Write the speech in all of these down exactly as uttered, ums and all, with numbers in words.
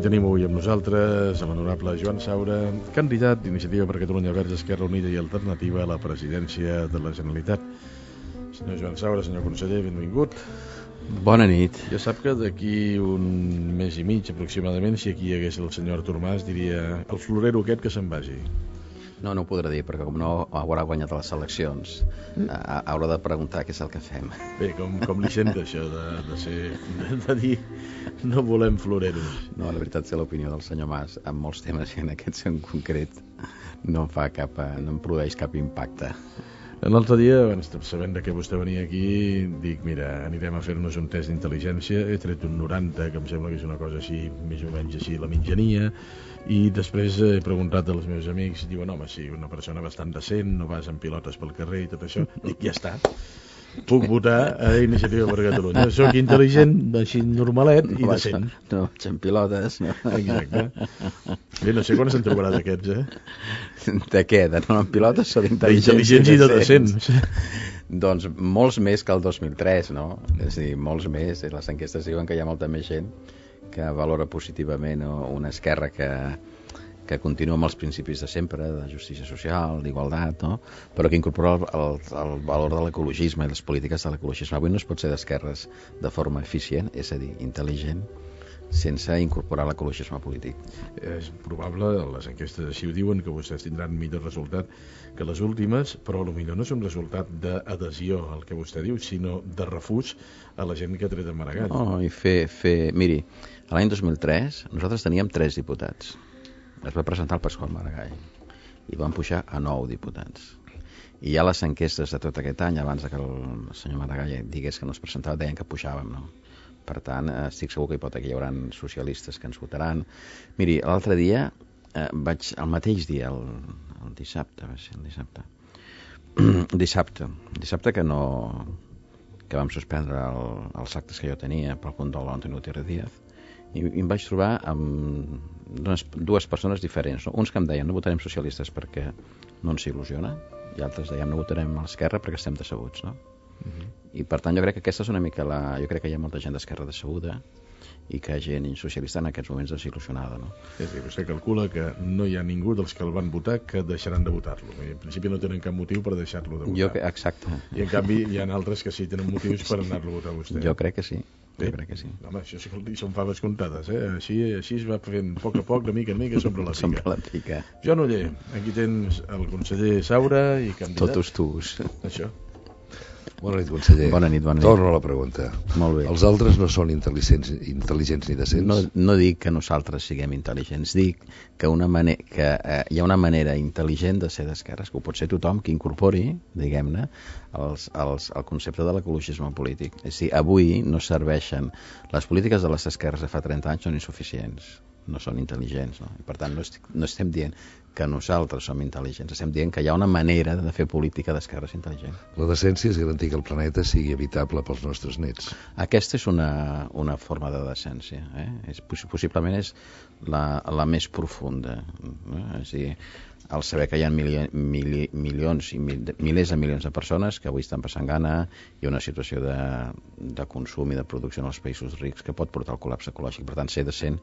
Tenim avui amb nosaltres l'honorable Joan Saura, candidat d'Iniciativa per Catalunya Verds, Esquerra Unida i Alternativa a la presidència de la Generalitat. Senyor Joan Saura, senyor conseller, benvingut. Bona nit. Ja sap que d'aquí un mes i mig aproximadament, si aquí hi hagués el senyor Artur Mas, diria el florero aquest que se'n vagi. No, no ho podrà dir, perquè com no haurà guanyat les eleccions, mm. haurà de preguntar què és el que fem. Bé, com, com li sent això de, de, ser, de, de dir no volem floreros? No, la veritat és que l'opinió del senyor Mas en molts temes i en aquests en concret no em fa cap, no em produeix cap impacte. L'altre dia, sabent que vostè venia aquí, dic, mira, anirem a fer-nos un test d'intel·ligència, he tret un noranta, que em sembla que és una cosa així, més o menys així, la mitjania, i després he preguntat als meus amics, diuen, home, sí, una persona bastant decent, no vas amb pilotes pel carrer i tot això, dic, ja està, puc votar a Iniciativa per Catalunya. Soc intel·ligent, així normalet i no decent. Vaig, no vaig amb pilotes, no? Exacte. Bé, no sé quan se'n trobarà d'aquests, eh? De què? De no amb pilotes o d'intel·ligents? D'intel·ligents i de decents. Doncs molts més que el dos mil tres, no? És a dir, molts més. Les enquestes diuen que hi ha molta més gent que valora positivament una esquerra que... que continua amb els principis de sempre, de justícia social, d'igualtat, no? Però que incorpora el, el, el valor de l'ecologisme i les polítiques de l'ecologisme. Avui no es pot ser d'esquerres de forma eficient, és a dir, intel·ligent, sense incorporar l'ecologisme polític. És probable, les enquestes així ho diuen, que vostès tindran millor resultat que les últimes, però potser no és un resultat d'adhesió al que vostè diu, sinó de refús a la gent que ha tret a Maragall. No, i fer, fer... Miri, l'any dos mil tres nosaltres teníem tres diputats. Es va presentar el Pasqual Maragall i van pujar a nou diputats. I ja les enquestes de tot aquest any, abans que el senyor Maragall digués que no es presentava, deien que pujàvem, no? Per tant, estic segur que hi pot haver, hi haurà socialistes que ens votaran. Miri, l'altre dia, eh, vaig, el mateix dia, el, el dissabte, va ser el dissabte, dissabte, dissabte que no, que vam suspendre el, els actes que jo tenia pel compte de l'Antonio Gutiérrez Díaz, i, i em vaig trobar amb dues, dues persones diferents, no? Uns que em deien no votarem socialistes perquè no ens il·lusiona, i altres deien no votarem a l'esquerra perquè estem decebuts, no? Uh-huh. I per tant jo crec que aquesta és una mica la... jo crec que hi ha molta gent d'esquerra decebuda i que gent socialista en aquests moments desil·lusionada, no? És a dir, vostè calcula que no hi ha ningú dels que el van votar que deixaran de votar-lo. En principi no tenen cap motiu per deixar-lo de votar. Jo, exacte. I en canvi hi ha altres que sí tenen motius per anar-lo a votar a vostè. Jo crec que sí. Bé, jo crec que sí. Home, això sí que són faves comptades, eh? Així, així es va fent a poc a poc, de mica en mica, sobre la pica. Sobre la pica. Joan Oller, aquí tens el conseller Saura i candidat. Totus tus. Això. Bona nit, conseller. Bona nit, bona nit. Torno a la pregunta. Molt bé. Els altres no són intel·ligents, intel·ligents ni decents? No, no dic que nosaltres siguem intel·ligents, dic que, una mane- que eh, hi ha una manera intel·ligent de ser d'esquerres, que ho pot ser tothom que incorpori, diguem-ne, els, els, el concepte de l'ecologisme polític. És a dir, avui no serveixen... Les polítiques de les esquerres de fa trenta anys són insuficients, no són intel·ligents, no? I per tant no, estic, no estem dient que nosaltres som intel·ligents, estem dient que hi ha una manera de fer política d'esquerres intel·ligent. La decència és garantir que el planeta sigui habitable pels nostres nets. Aquesta és una, una forma de decència, eh? És, possiblement és la, la més profunda, eh? És a dir, el saber que hi ha mili, mili, milions i mil, milers de milions de persones que avui estan passant gana, hi ha una situació de, de consum i de producció en els països rics que pot portar al col·lapse ecològic. Per tant, ser decent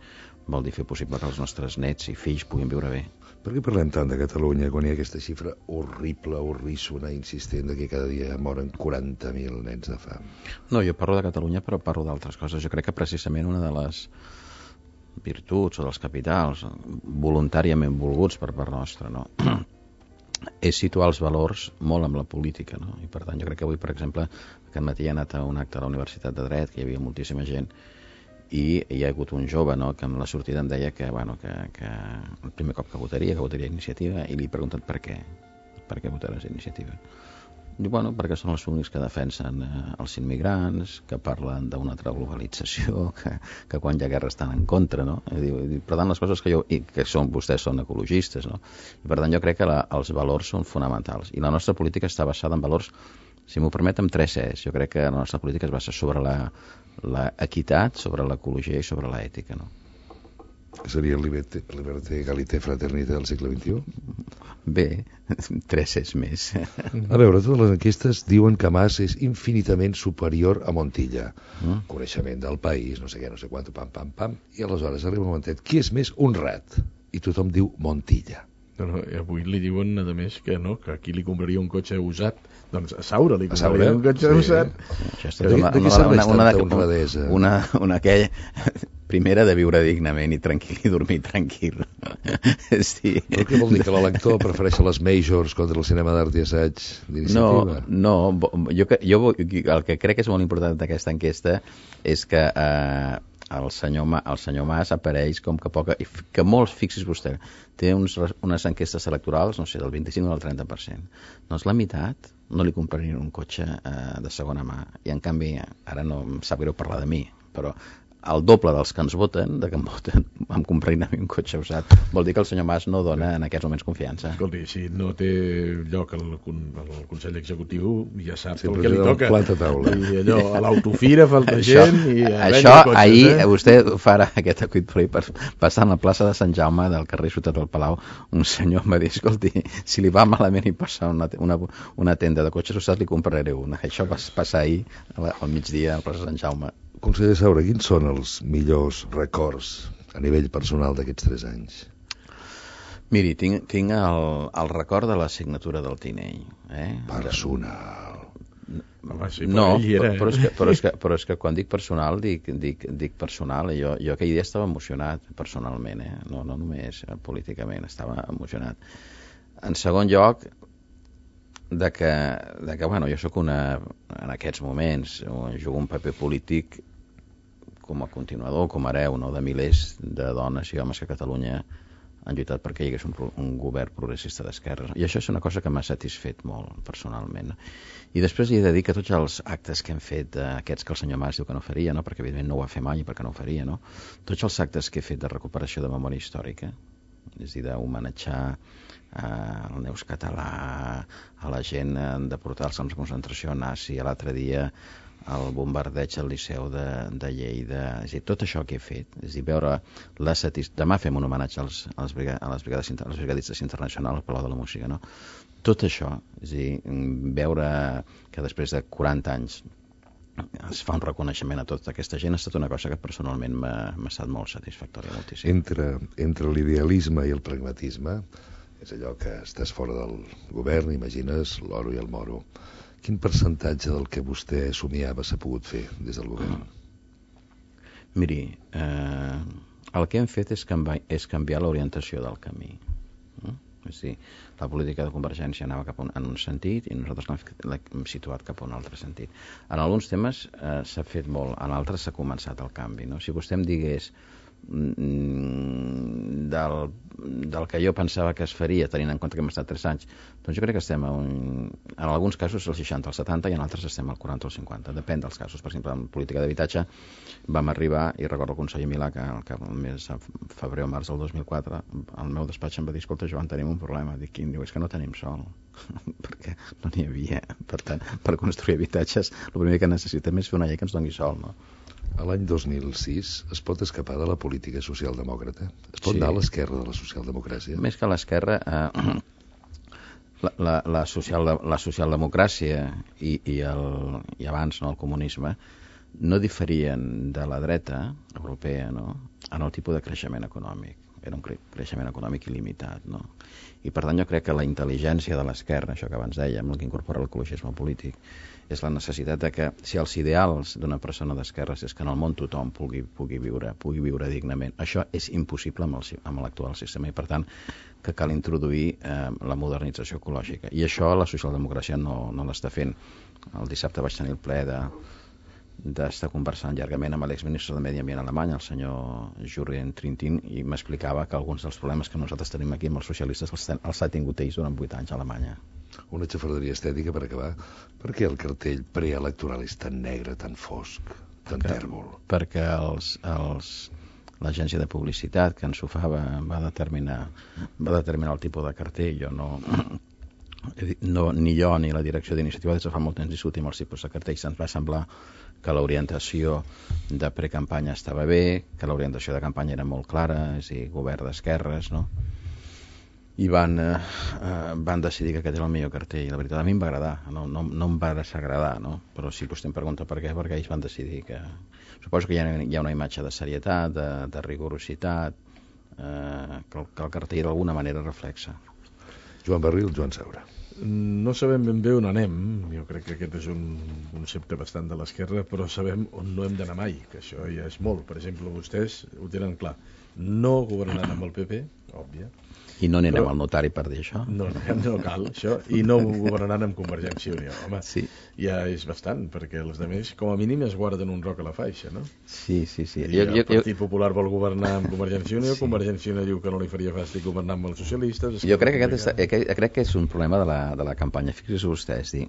vol dir fer possible que els nostres nets i fills puguin viure bé. Per què parlem tant de Catalunya quan hi ha aquesta xifra horrible, horríssona, insistent, de que cada dia moren quaranta mil nens de fam? No, jo parlo de Catalunya, però parlo d'altres coses. Jo crec que precisament una de les virtuts o dels capitals voluntàriament volguts per part nostra, no? és situar els valors molt amb la política, no? I per tant jo crec que avui, per exemple, aquest matí he anat a un acte a la Universitat de Dret, que hi havia moltíssima gent, i hi ha hagut un jove, no?, que amb la sortida em deia que, bueno, que, que el primer cop que votaria, que votaria Iniciativa, i li he preguntat per què, per què votaràs Iniciativa. Diu, bueno, perquè són els únics que defensen eh, els immigrants, que parlen d'una altra globalització, que, que quan hi ha guerra estan en contra, no? I diu, i, per tant, les coses que jo... I que són, vostès són ecologistes, no? I per tant, jo crec que la, els valors són fonamentals. I la nostra política està basada en valors Si m'ho permet, amb tres Cs. Jo crec que la nostra política es basa sobre la, la equitat, sobre l'ecologia i sobre l'ètica, no? Seria liberté, liberté, egalité, fraternité del segle vint-i-u? Bé, tres Cs més. A veure, totes les enquestes diuen que Mas és infinitament superior a Montilla. Mm. Coneixement del país, no sé què, no sé quant, pam, pam, pam, i aleshores arriba un momentet, qui és més honrat? I tothom diu Montilla. No, no, avui li diuen, a més, que no, que aquí li compraria un cotxe usat. Doncs a Saura li compraria un cotxe sí. usat. Això és tota una, una, una, una, una, una, una aquella primera de viure dignament i tranquil i dormir tranquil. Sí. Però què vol dir, que l'elector prefereix les majors contra el cinema d'art i assaig d'iniciativa? No, no jo, jo, el que crec que és molt important d'aquesta enquesta és que eh, el senyor, Ma, el senyor Mas apareix com que poca, que molts, fixis vostè, té uns, unes enquestes electorals, no sé, del vint-i-cinc o del trenta per cent. Doncs la meitat no li comprarien un cotxe eh, de segona mà. I en canvi, ara no em sap greu parlar de mi, però el doble dels que ens voten, de que em voten, em comprarin a mi un cotxe usat. Vol dir que el senyor Mas no dona en aquests moments confiança. Escolti, si no té lloc al, al Consell Executiu, ja sap sí, el que li toca. Taula. I allò, a l'autofira falta això, gent i a això cotxes, ahir eh? vostè farà aquest acuit per, per passar a la plaça de Sant Jaume del carrer Ciutat del Palau, un senyor em va dir, escolti, si li va malament i passa una, una, una tenda de cotxes usats li compraré una. Això va passar ahir al migdia a la plaça de Sant Jaume. Conseller Saura, quins són els millors records a nivell personal d'aquests tres anys? Miri, tinc, tinc el, el record de la signatura del Tinell. Eh? Personal. Home, sí, no, era, eh? però, és que, però, és que, però és que quan dic personal, dic, dic, dic personal. Jo, jo aquell dia estava emocionat personalment, eh? no, no només políticament, estava emocionat. En segon lloc, de que, de que bueno, jo sóc una, en aquests moments, jugo un paper polític com a continuador, com a hereu, no? De milers de dones i homes que a Catalunya han lluitat perquè hi hagués un, un govern progressista d'esquerres. I això és una cosa que m'ha satisfet molt, personalment. I després hi he de dir que tots els actes que hem fet, eh, aquests que el senyor Mas diu que no faria, no? Perquè evidentment no ho va fer mai i perquè no ho faria, no? Tots els actes que he fet de recuperació de memòria històrica, és a dir, d'homenatjar al Neus Català, a la gent de portar els camps de concentració nazi, a l'altre dia el bombardeig al Liceu de, de Lleida, és a dir, tot això que he fet, és a dir, veure la satis... Demà fem un homenatge als, als, briga... a les brigades, als brigadistes internacionals al Palau de la Música, no? Tot això, és a dir, veure que després de quaranta anys es fa un reconeixement a tota aquesta gent ha estat una cosa que personalment m'ha estat molt satisfactòria, moltíssim. Entre, entre l'idealisme i el pragmatisme, és allò que estàs fora del govern, imagines l'oro i el moro. Quin percentatge del que vostè somiava s'ha pogut fer des del govern? Miri, eh, el que hem fet és, canvi, és canviar l'orientació del camí. Eh? És a dir, la política de Convergència anava cap un, en un sentit i nosaltres l'hem situat cap a un altre sentit. En alguns temes eh, s'ha fet molt, en altres s'ha començat el canvi. No? Si vostè em digués del, del que jo pensava que es faria, tenint en compte que hem estat tres anys, doncs jo crec que estem a un, en alguns casos al seixanta, al setanta i en altres estem al quaranta o al cinquanta, depèn dels casos. Per exemple, en política d'habitatge vam arribar, i recordo el conseller Milà que el mes de febrer o març del dos mil quatre al meu despatx em va dir, escolta Joan, tenim un problema. Dic, quin? Diu, és que no tenim sol perquè no n'hi havia. Per tant, per construir habitatges el primer que necessitem és fer una llei que ens doni sol, no? A l'any dos mil sis es pot escapar de la política socialdemòcrata? Es pot sí. anar a l'esquerra de la socialdemocràcia? Més que a l'esquerra, eh, la, la, la, social, la socialdemocràcia i, i, el, i abans no, el comunisme no diferien de la dreta europea, no? En el tipus de creixement econòmic. Era un creixement econòmic il·limitat, no? I per tant jo crec que la intel·ligència de l'esquerra, això que abans dèiem, el que incorpora l'ecologisme polític, és la necessitat de que si els ideals d'una persona d'esquerres és que en el món tothom pugui, pugui, viure, pugui viure dignament, això és impossible amb, el, amb l'actual sistema i per tant que cal introduir eh, la modernització ecològica. I això la socialdemocràcia no, no l'està fent. El dissabte vaig tenir el plaer de d'estar conversant llargament amb l'exministre de Medi Ambient alemany, el senyor Jürgen Trintin, i m'explicava que alguns dels problemes que nosaltres tenim aquí amb els socialistes els, ten, els ha tingut ells durant vuit anys a Alemanya. Una xafarderia estètica per acabar. Per què el cartell preelectoral és tan negre, tan fosc, tan tèrbol? Perquè els, els, l'agència de publicitat que ens ho fa va, va, determinar, va determinar el tipus de cartell. Jo no, no, ni jo ni la direcció d'iniciativa des de fa molt temps discutim els tipus de cartells. Ens va semblar que l'orientació de precampanya estava bé, que l'orientació de campanya era molt clara, és a dir, govern d'esquerres, no? I van, eh, eh, van decidir que aquest era el millor cartell. La veritat, a mi em va agradar, no, no, no em va desagradar, no? Però si vostè em pregunta per què, perquè ells van decidir que... Suposo que hi ha, hi ha una imatge de serietat, de, de rigorositat, eh, que, el, que el cartell d'alguna manera reflexa. Joan Barril, Joan Saura. No sabem ben bé on anem, jo crec que aquest és un concepte bastant de l'esquerra, però sabem on no hem d'anar mai, que això ja és molt. Per exemple, vostès ho tenen clar, no governaran amb el P P, òbvia. I no anirem però, al notari per dir això? No, no cal això, i no governaran amb Convergència i Unió. Home, sí. Ja és bastant, perquè els altres, com a mínim, es guarden un roc a la faixa, no? Sí, sí, sí. I jo, el jo, Partit jo... Popular vol governar amb Convergència i Unió, sí. Convergència i Unió diu que no li faria fàstic governar amb els socialistes... Jo crec que, aquest és, que, crec que és un problema de la, de la campanya. Fixeu-vos vostès, dir...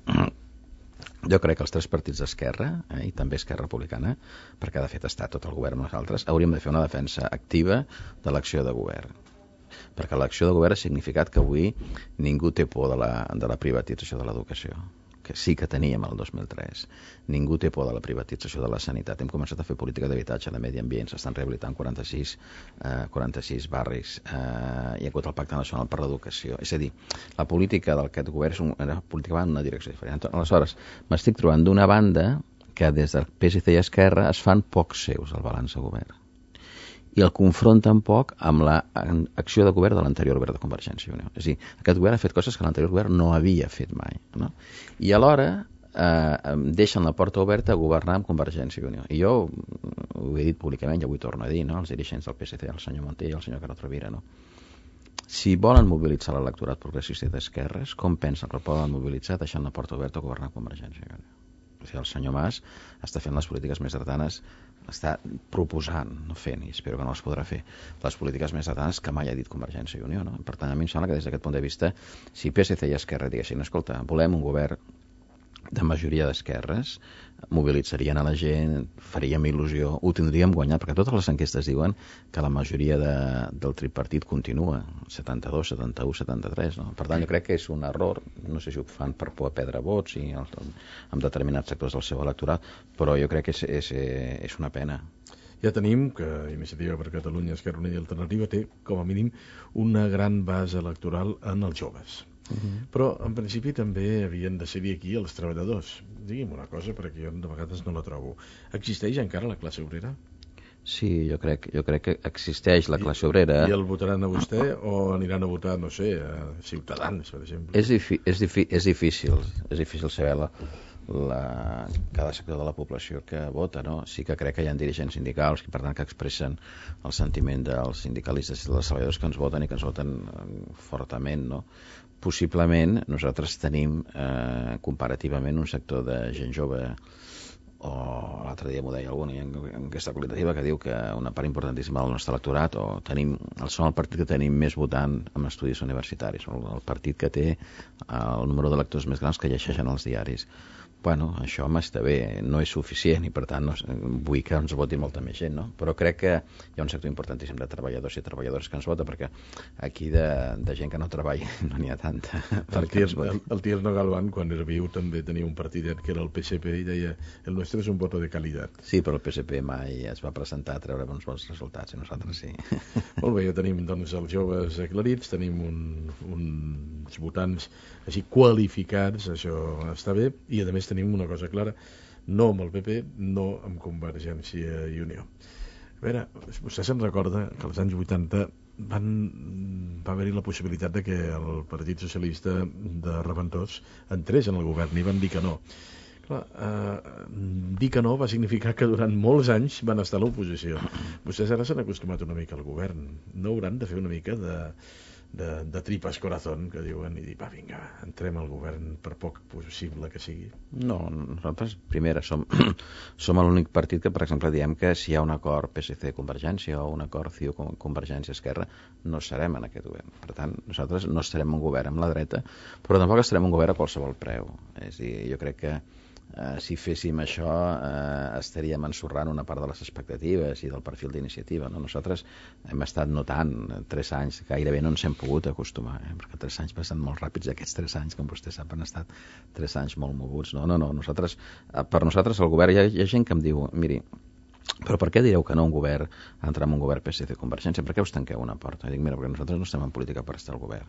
Jo crec que els tres partits d'Esquerra, eh, i també Esquerra Republicana, perquè de fet està tot el govern amb nosaltres, hauríem de fer una defensa activa de l'acció de govern. Perquè l'acció de govern ha significat que avui ningú té por de la, de la privatització de l'educació, que sí que teníem el dos mil tres. Ningú té por de la privatització de la sanitat. Hem començat a fer política d'habitatge, de medi ambient, s'estan rehabilitant quaranta-sis, eh, quaranta-sis barris, eh, hi ha hagut el Pacte Nacional per l'Educació. És a dir, la política d'aquest govern és un, una política va en una direcció diferent. Aleshores, m'estic trobant d'una banda que des del P S C i Esquerra es fan pocs seus el balanç de govern i el confronten poc amb l'acció de govern de l'anterior govern de Convergència i Unió. És a dir, aquest govern ha fet coses que l'anterior govern no havia fet mai, no? I alhora eh, deixen la porta oberta a governar amb Convergència i Unió. I jo ho he dit públicament, ja ho torno a dir, no? Els dirigents del P S C, el senyor Montell i el senyor Carod Rovira, no? Si volen mobilitzar l'electorat progressista i d'esquerres, com pensen que el poden mobilitzar deixant la porta oberta a governar amb Convergència i Unió? O sigui, el senyor Mas està fent les polítiques més dretanes, està proposant, no fent, i espero que no les podrà fer, les polítiques més dretanes que mai ha dit Convergència i Unió, no? Per tant, a mi em sembla que des d'aquest punt de vista, si P S C i Esquerra diguessin, escolta, volem un govern de majoria d'esquerres, mobilitzarien a la gent, faríem il·lusió, ho tindríem guanyat, perquè totes les enquestes diuen que la majoria de, del tripartit continua, setanta-dos, setanta-u, setanta-tres, no? Per tant, jo crec que és un error, no sé si ho fan per poder perdre vots i el, en determinats sectors del seu electorat, però jo crec que és, és, és una pena. Ja tenim que Iniciativa per Catalunya, Esquerra Unida i Alternativa té, com a mínim, una gran base electoral en els joves. Uh-huh. Però en principi també havien de ser aquí els treballadors. Digui'm una cosa, perquè jo de vegades no la trobo. Existeix encara la classe obrera? Sí, jo crec, jo crec que existeix la classe obrera. I, I el votaran a vostè o aniran a votar, no sé, a Ciutadans, per exemple? És, difi és, difi és difícil, és difícil saber la, la, cada sector de la població que vota, no? Sí que crec que hi ha dirigents sindicals que, per tant, que expressen el sentiment dels sindicalistes i dels treballadors que ens voten i que ens voten fortament, no? Possiblement nosaltres tenim eh, comparativament un sector de gent jove, o l'altre dia m'ho deia algú en aquesta qualitativa, que diu que una part importantíssima del nostre electorat, o tenim, som el partit que tenim més votant en estudis universitaris, el, el partit que té el número de lectors més grans que llegeixen els diaris. Bueno, això m'està bé, no és suficient i per tant no, vull que ens voti molta més gent, no? Però crec que hi ha un sector importantíssim de treballadors i treballadores que ens vota, perquè aquí de, de gent que no treballa no n'hi ha tanta. El Tierno, el, el Tierno Galván, quan era viu, també tenia un partidet que era el P S P i deia el nostre és un voto de qualitat. Sí, però el P S P mai es va presentar a treure uns bons resultats i nosaltres sí. Molt bé, ja tenim doncs els joves aclarits, tenim un, uns votants així qualificats, això està bé, i a més tenim una cosa clara, no amb el P P, no amb Convergència i Unió. A veure, vostè se'n recorda que als anys vuitanta van, va haver-hi la possibilitat de que el Partit Socialista de Reventós entrés en el govern i van dir que no. Clar, eh, dir que no va significar que durant molts anys van estar a l'oposició. Vostès ara s'han acostumat una mica al govern. No hauran de fer una mica de... De, de tripas corazón, que diuen, i dir, va, vinga, entrem al govern per poc possible que sigui. No, nosaltres, primera, som, som l'únic partit que, per exemple, diem que si hi ha un acord P S C-Convergència o un acord C I U-Convergència-Esquerra, no serem en aquest govern. Per tant, nosaltres no estarem en un govern amb la dreta, però tampoc estarem en un govern a qualsevol preu. És a dir, jo crec que eh, si féssim això eh, estaríem ensorrant una part de les expectatives i del perfil d'iniciativa, no? Nosaltres hem estat notant tres anys, gairebé no ens hem pogut acostumar, eh? Perquè tres anys passen molt ràpids, aquests tres anys, com vostè sap, han estat tres anys molt moguts. No, no, no, nosaltres, per nosaltres el govern, hi ha, hi ha gent que em diu, miri, però per què direu que no un govern, entrar en un govern P S C Convergència? Per què us tanqueu una porta? I dic, mira, perquè nosaltres no estem en política per estar al govern.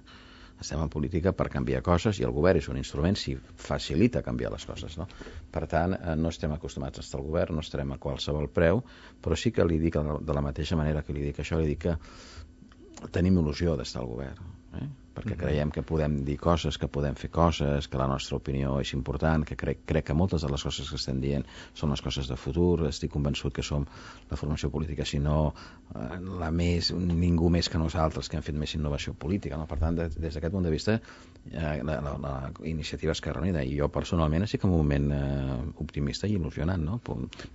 Estem en política per canviar coses i el govern és un instrument si facilita canviar les coses, no? Per tant, no estem acostumats a estar al govern, no estarem a qualsevol preu, però sí que li dic, de la mateixa manera que li dic això, li dic que tenim il·lusió d'estar al govern, eh? Perquè creiem que podem dir coses, que podem fer coses, que la nostra opinió és important, que crec, crec que moltes de les coses que estem dient són les coses de futur. Estic convençut que som la formació política, si no eh, la més, ningú més que nosaltres que hem fet més innovació política, no? Per tant, de, des d'aquest punt de vista, eh, la, la, la iniciativa Esquerra Unida, i jo personalment estic en un moment eh, optimista i il·lusionant, no?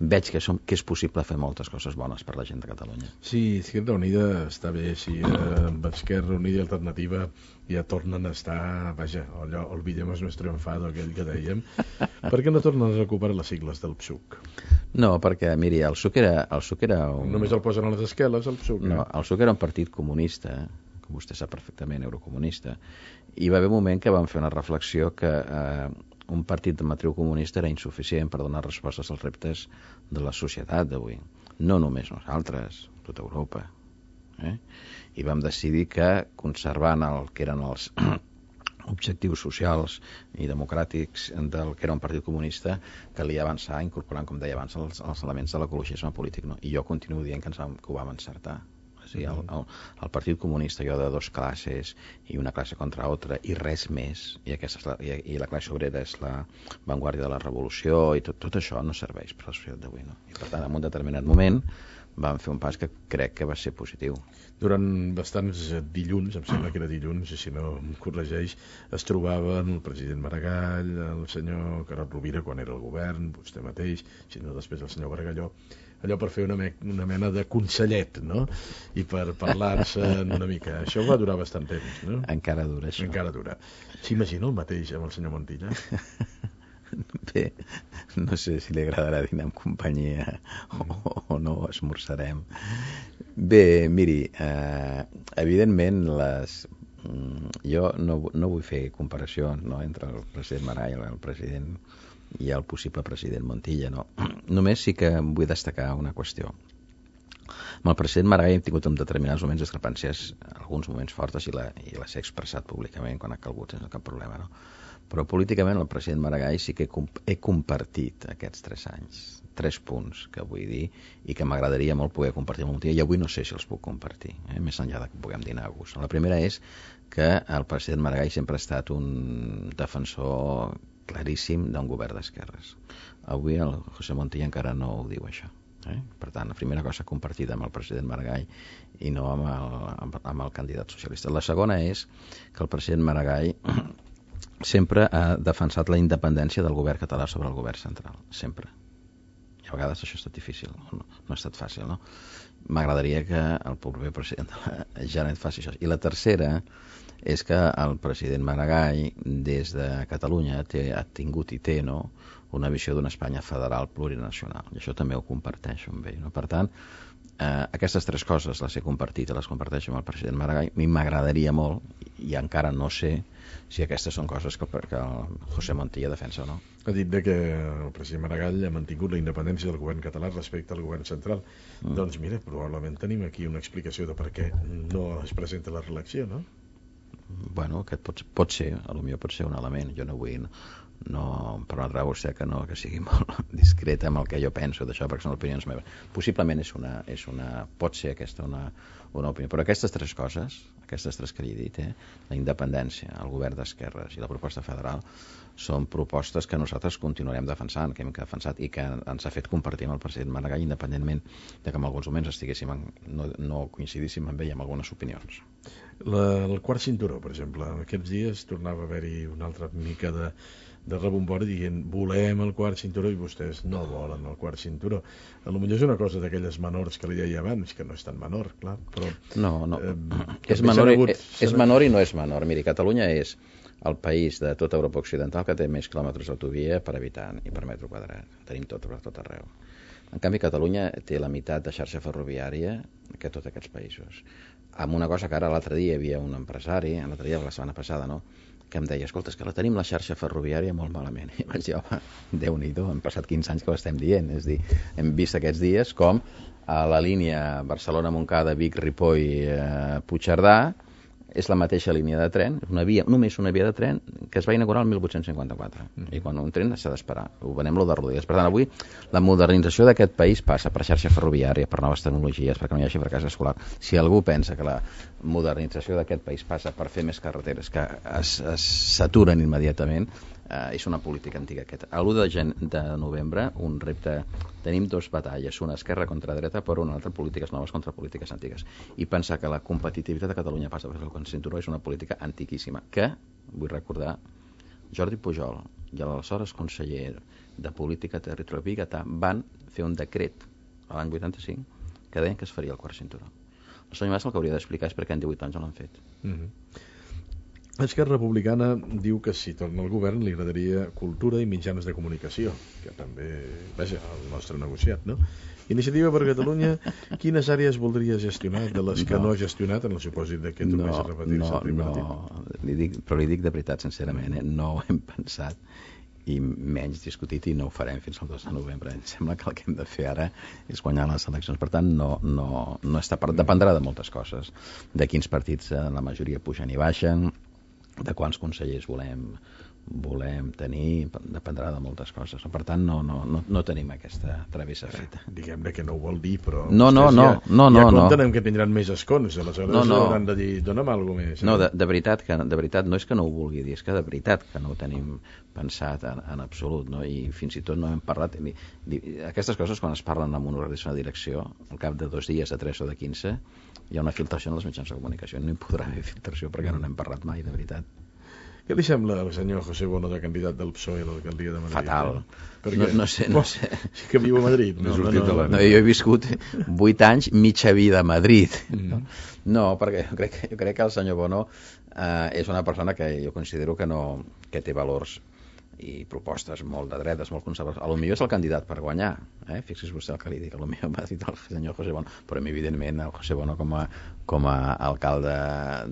Veig que, som, que és possible fer moltes coses bones per la gent de Catalunya. Sí, Esquerra Unida està bé, sí, eh, amb Esquerra Unida i Alternativa ja tornen a estar, vaja, allò, olvidemos nuestro enfado, aquell que dèiem. Per què no tornen a recuperar les sigles del P S U C? No, perquè, miri, el P S U C era... El P S U C era un... Només el posen a les esqueles, el P S U C. No, el P S U C era un partit comunista, com vostè sap perfectament, eurocomunista, i va haver un moment que vam fer una reflexió que eh, un partit de matriu comunista era insuficient per donar respostes als reptes de la societat d'avui. No només nosaltres, tota Europa. Eh? I vam decidir que conservant el que eren els objectius socials i democràtics del que era un partit comunista, calia avançar incorporant, com deia abans, els, els elements de l'ecologisme polític, no? I jo continuo dient que, ens vam, que ho vam encertar. O sigui, el, el, el partit comunista, jo de dos classes i una classe contra altra i res més, i, aquesta és la, i, i la classe obrera és la vanguardia de la revolució, i tot, tot això no serveix per la societat d'avui, no? I per tant, en un determinat moment vam fer un pas que crec que va ser positiu. Durant bastants dilluns, em sembla que era dilluns, i si no em corregeix, es trobaven el president Maragall, el senyor Carod Rovira quan era al govern, vostè mateix, si no després el senyor Bargalló, allò per fer una, me una mena de consellet, no? I per parlar-se una mica. Això va durar bastant temps, no? Encara dura, això. Encara dura. S'imagina el mateix amb el senyor Montilla? Bé, no sé si li agradarà dinar en companyia o, o no, esmorzarem. Bé, miri, eh, evidentment les, jo no, no vull fer comparació, no, entre el president Maragall, el president i el possible president Montilla, no. Només sí que vull destacar una qüestió. Amb el president Maragall hem tingut en determinats moments discrepàncies, alguns moments fortes, i, la, i les he expressat públicament quan ha calgut, sense cap problema, no? Però políticament el president Maragall sí que he compartit aquests tres anys, tres punts que vull dir i que m'agradaria molt poder compartir amb Montilla, i avui no sé si els puc compartir, eh? Més enllà de que puguem dinar a gust. La primera és que el president Maragall sempre ha estat un defensor claríssim d'un govern d'esquerres. Avui el José Montilla encara no ho diu, això. Eh? Per tant, la primera cosa compartida amb el president Maragall i no amb el, amb el candidat socialista. La segona és que el president Maragall sempre ha defensat la independència del govern català sobre el govern central, sempre. I a vegades això ha estat difícil, no, no ha estat fàcil, no? M'agradaria que el proper president de la Generalitat faci això. I la tercera és que el president Maragall, des de Catalunya, té, ha tingut i té, no?, una visió d'una Espanya federal plurinacional. I això també ho comparteixo amb ell, no? Per tant, eh, aquestes tres coses les he compartit i les comparteixo amb el president Maragall. A mi m'agradaria molt, i encara no sé si aquestes són coses que, que el José Montilla defensa o no. Ha dit de que el president Maragall ha mantingut la independència del govern català respecte al govern central. Mm. Doncs mira, probablement tenim aquí una explicació de per què no es presenta la reelecció, no? Bueno, aquest pot, pot ser, potser pot ser un element. Jo no vull no permetrà vostè que no, que sigui molt discreta amb el que jo penso d'això, perquè són opinions meves. Possiblement és una, és una, pot ser aquesta una, una opinió, però aquestes tres coses, aquestes tres que li he dit, eh, la independència, el govern d'esquerres i la proposta federal, són propostes que nosaltres continuarem defensant, que hem defensat i que ens ha fet compartir amb el president Maragall, independentment de que en alguns moments estiguéssim en, no, no coincidíssim amb ell en algunes opinions. La, el quart cinturó, per exemple, aquests dies tornava a haver-hi una altra mica de, de rebombori dient volem el quart cinturó i vostès no volen el quart cinturó. A lo millor és una cosa d'aquelles menors que li deia abans, que no és tan menor, clar, però... No, no, eh, és, menor, hagut, és, és menor i no és menor. Miri, Catalunya és el país de tota Europa Occidental que té més quilòmetres d'autovia per habitant i per metre quadrat. Tenim tot per tot arreu. En canvi, Catalunya té la meitat de xarxa ferroviària que tots aquests països. Amb una cosa que ara l'altre dia hi havia un empresari, l'altre dia, la setmana passada, no?, que em deia, escolta, és que la tenim la xarxa ferroviària molt malament. I vaig dir, home, Déu-n'hi-do, hem passat quinze anys que ho estem dient. És dir, hem vist aquests dies com a la línia Barcelona-Montcada, Vic-Ripoll, eh, Puigcerdà, és la mateixa línia de tren, una via, només una via de tren que es va inaugurar el mil vuit-cents cinquanta-quatre. Mm. I quan un tren s'ha d'esperar, ho venem-lo de rodelles. Per tant, avui la modernització d'aquest país passa per xarxa ferroviària, per noves tecnologies, perquè no hi hagi fracàs escolar. Si algú pensa que la modernització d'aquest país passa per fer més carreteres que es, es saturen immediatament, eh, és una política antiga aquesta. A l'u de, gen... de novembre, un repte... Tenim dos batalles, una esquerra contra dreta, però una altra polítiques noves contra polítiques antigues. I pensar que la competitivitat de Catalunya passa per el cinturó és una política antiquíssima, que, vull recordar, Jordi Pujol i l'aleshores conseller de Política Territorial Biguetà van fer un decret a l'any vuitanta-cinc que deien que es faria el quart cinturó. El senyor Mas el que hauria d'explicar és per què en divuit anys no l'han fet. Mm-hmm. Esquerra Republicana diu que si torna al govern li agradaria cultura i mitjans de comunicació, que també, vaja, el nostre negociat, no? Iniciativa per Catalunya, quines àrees voldria gestionar de les que no, no ha gestionat en el supòsit de que tornés no, a repetir-se no, el tripartit? No, li dic, però li dic de veritat, sincerament, eh? No ho hem pensat i menys discutit i no ho farem fins al dos de novembre. Em sembla que el que hem de fer ara és guanyar les eleccions. Per tant, no, no, no està per... dependrà de moltes coses. De quins partits eh, la majoria pugen i baixen, de quants consellers volem volem tenir, dependrà de moltes coses. Per tant, no, no, no, no tenim aquesta travessa feta. Eh, Diguem-ne que no ho vol dir, però no, no, no, ja, no, ja no, compten no. amb que tindran més escons, aleshores no, no. hauran de dir, dona'm alguna més. Eh? No, de, de, veritat que, de veritat, no és que no ho vulgui dir, és que de veritat que no ho tenim pensat en, en absolut, no? I fins i tot no hem parlat... Ni, ni, aquestes coses, quan es parlen amb una organització de direcció, al cap de dos dies, de tres o de quinze, hi ha una filtració en els mitjans de comunicació. No hi podrà haver filtració perquè no n'hem parlat mai, de veritat. Què li sembla al senyor José Bono de candidat del P S O E a l'alcaldia de Madrid? Fatal. Eh? No, no sé, no sé. Sí que viu a Madrid. No, no, no, no, no, jo he viscut vuit anys, mitja vida a Madrid. Mm. No, no perquè jo crec, jo crec que el senyor Bono eh, és una persona que jo considero que, no, que té valors i propostes molt de dretes, molt conservadores. A lo millor és el candidat per guanyar, eh? Fixi's vostè el que li dic, a lo millor m'ha dit el senyor José Bono, però a mi, evidentment, el José Bono com a, com a alcalde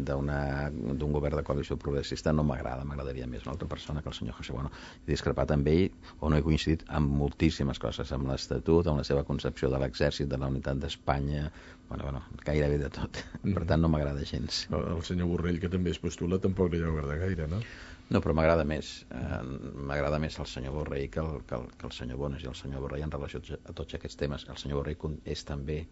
d'un govern de coalició progressista no m'agrada, m'agradaria més una altra persona que el senyor José Bono. He discrepat amb ell, o no he coincidit amb moltíssimes coses, amb l'Estatut, amb la seva concepció de l'exèrcit, de la unitat d'Espanya, bueno, bueno, gairebé de tot. Mm. Per tant, no m'agrada gens. El senyor Borrell, que també es postula, tampoc li deu agradar gaire, no? No, però m'agrada més eh, m'agrada més el senyor Borrell que el, que el, que el senyor Bono i el senyor Borrell en relació a tots aquests temes. El senyor Borrell és també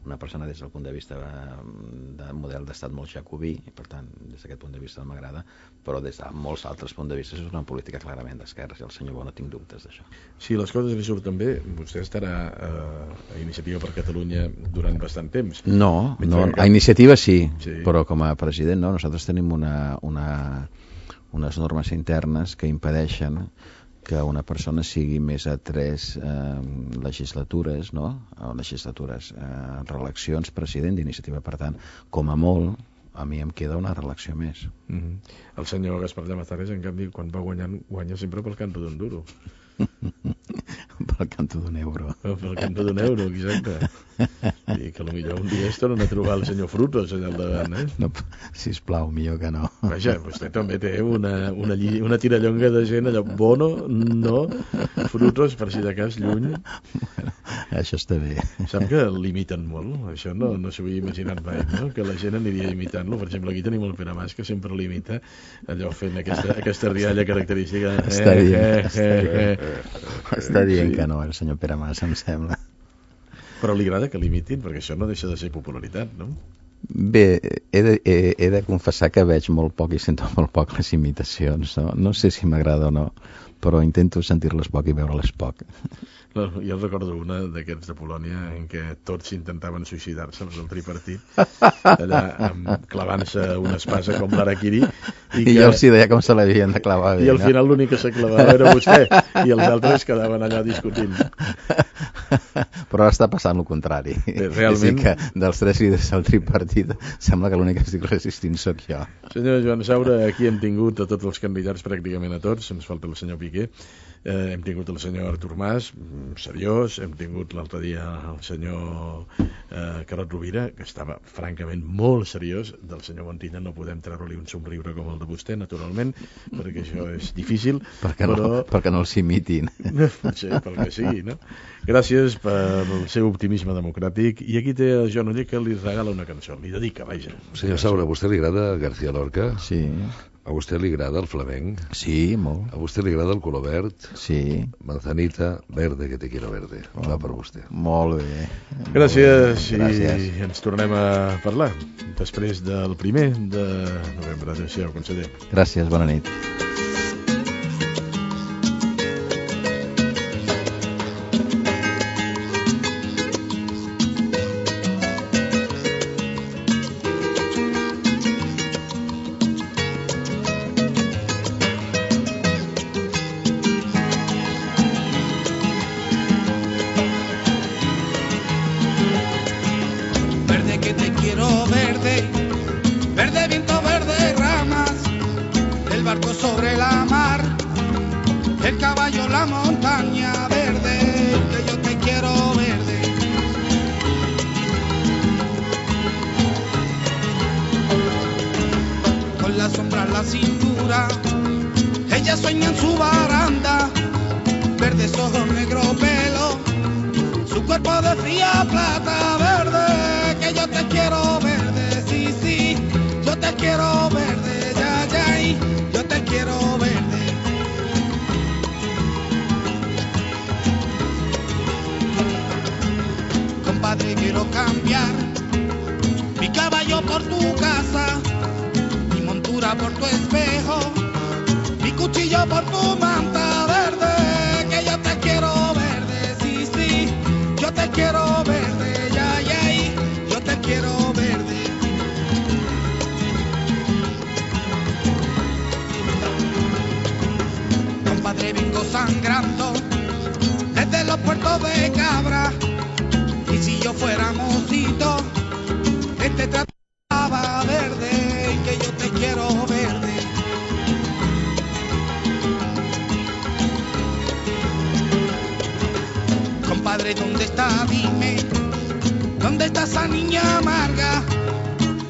una persona des del punt de vista de model d'estat molt jacobí i per tant des d'aquest punt de vista no m'agrada, però des de molts altres punts de vista és una política clarament d'esquerres i el senyor Bono tinc dubtes d'això. Si les coses li surten bé, vostè estarà eh, a Iniciativa per Catalunya durant bastant temps. No, no cap... a Iniciativa sí, sí, però com a president no, nosaltres tenim una, una unes normes internes que impedeixen que una persona sigui més a tres eh, legislatures, no? O legislatures, eh, reeleccions president d'Iniciativa. Per tant, com a molt, a mi em queda una reelecció més. Mm-hmm. El senyor Gaspar Llamazares, en canvi, quan va guanyant, guanya sempre pel canto d'un duro. Pel canto d'un euro. Pel canto d'un euro, exacte. I que potser un dia es tornen a trobar el senyor Frutos allà al davant, eh? No, sisplau, millor que no. Vaja, vostè també té una, una, lli, una tirallonga de gent allò, Bono, no, Frutos, per si de cas, lluny. Bueno, això està bé. Sap que l'imiten molt? Això no, no s'ho havia imaginat mai, no? Que la gent aniria imitant-lo. Per exemple, aquí tenim el Pere Mas, que sempre l'imita, allò fent aquesta, aquesta rialla característica. Està eh, dient, eh, està, eh, eh. està dient sí. Que no, el senyor Pere Mas, em sembla. Però li agrada que l'imitin, perquè això no deixa de ser popularitat, no? Bé, he de, he, he de confessar que veig molt poc i sento molt poc les imitacions, no? No sé si m'agrada o no, però intento sentir-les poc i veure-les poc. No, jo recordo una d'aquests de Polònia en què tots intentaven suïcidar-se, els del tripartit, allà amb, clavant-se una espasa com l'Harakiri. I, que... I jo els hi deia com se l'havien de clavar bé, I al no? final l'únic que se clavava era vostè, i els altres quedaven allà discutint. Però ara està passant el contrari. Bé, realment... És a dir, que dels tres líders del tripartit sembla que l'únic que estic resistint sóc jo. Senyor Joan Saura, aquí hem tingut a tots els candidats, pràcticament a tots, ens falta el senyor Piqué, eh, hem tingut el senyor Artur Mas, seriós, hem tingut l'altre dia el senyor eh, Carod Rovira, que estava francament molt seriós, del senyor Montilla no podem treure-li un somriure com el de vostè, naturalment, perquè això és difícil. Perquè no, però... perquè no els imitin. Potser, pel que sigui, no? Gràcies pel seu optimisme democràtic. I aquí té el Joan Oller, que li regala una cançó, li dedica, vaja. Senyor Saura, a vostè li agrada García Lorca? Sí. A vostè li agrada el flamenc? Sí, molt. A vostè li agrada el color verd? Sí. Manzanita, verde, que te quiero verde. Oh, va per vostè. Molt bé. Gràcies, molt bé. Gràcies. I ens tornem a parlar després del primer de novembre. Adéu-siau, conseller. Gràcies, bona nit.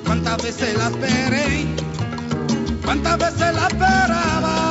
Cuántas veces la esperé, cuántas veces la esperaba.